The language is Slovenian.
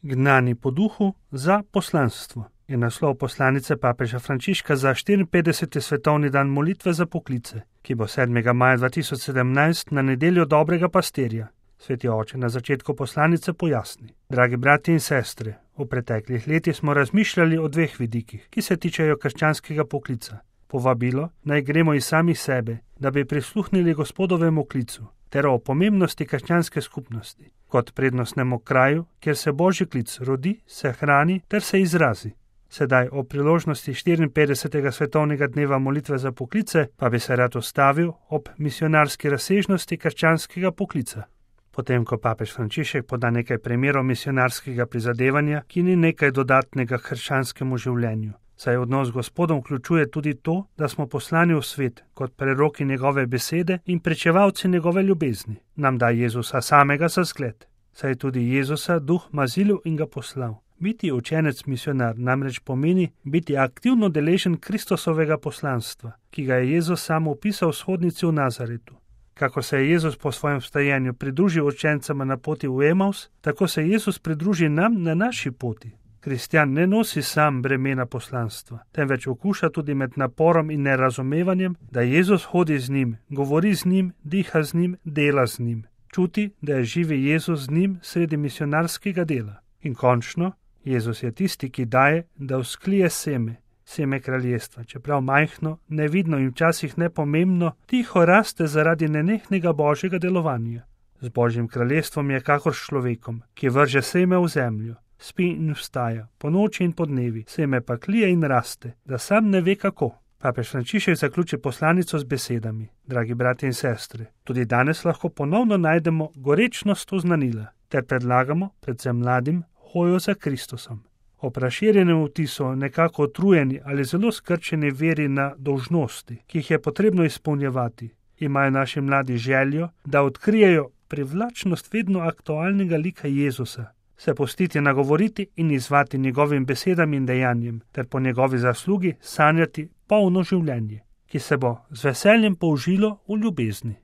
Gnani po duhu za poslanstvo je naslov poslanice papeža Frančiška za 54. svetovni dan molitve za poklice, ki bo 7. maja 2017 na nedeljo dobrega pastirja. Sveti oče na začetku poslanice pojasni: Dragi brati in sestre, v preteklih letih smo razmišljali o dveh vidikih, ki se tičejo krščanskega poklica. Povabilo, naj gremo iz samih sebe, da bi prisluhnili Gospodovemu klicu, ter o pomembnosti krščanske skupnosti, kot prednostnemu kraju, kjer se Božji klic rodi, se hrani ter se izrazi. Sedaj o priložnosti 54. svetovnega dneva molitve za poklice pa bi se rad ustavil ob misionarski razsežnosti krščanskega poklica. Potem, ko papež Frančišek poda nekaj primerov misionarskega prizadevanja, ki ni nekaj dodatnega krščanskemu življenju, saj odnos z Gospodom vključuje tudi to, da smo poslani v svet kot preroki njegove besede in pričevalci njegove ljubezni, nam da Jezusa samega za zgled, saj tudi Jezusa duh mazilil in ga poslal. Biti učenec misionar namreč pomeni biti aktivno deležen Kristusovega poslanstva, ki ga je Jezus sam opisal v shodnici v Nazaretu. Kako se je Jezus po svojem vstajenju pridružil učencema na poti v Emaus, tako se Jezus pridruži nam na naši poti. Kristjan ne nosi sam bremena poslanstva, temveč okuša tudi med naporom in nerazumevanjem, da Jezus hodi z njim, govori z njim, diha z njim, dela z njim. Čuti, da je živi Jezus z njim sredi misionarskega dela. In končno, Jezus je tisti, ki daje, da vzklije seme kraljestva, čeprav majhno, nevidno in včasih nepomembno, tiho raste zaradi nenehnega Božjega delovanja. Z Božjim kraljestvom je kakor s človekom, ki vrže seme v zemljo, spi in vstaja, po noči in po dnevi, seme pa klije in raste, da sam ne ve kako. Papež Frančišek zaključi poslanico z besedami: Dragi brati in sestre, tudi danes lahko ponovno najdemo gorečnost oznanila, ter predlagamo, predvsem mladim, hojo za Kristusom. Ob razširjenem vtisu nekako utrujeni ali zelo skrčeni veri na dolžnosti, ki jih je potrebno izpolnjevati, imajo naši mladi željo, da odkrijejo privlačnost vedno aktualnega lika Jezusa, se pustiti nagovoriti in izvati njegovim besedam in dejanjem, ter po njegovi zaslugi sanjati polno življenje, ki se bo z veseljem použilo v ljubezni.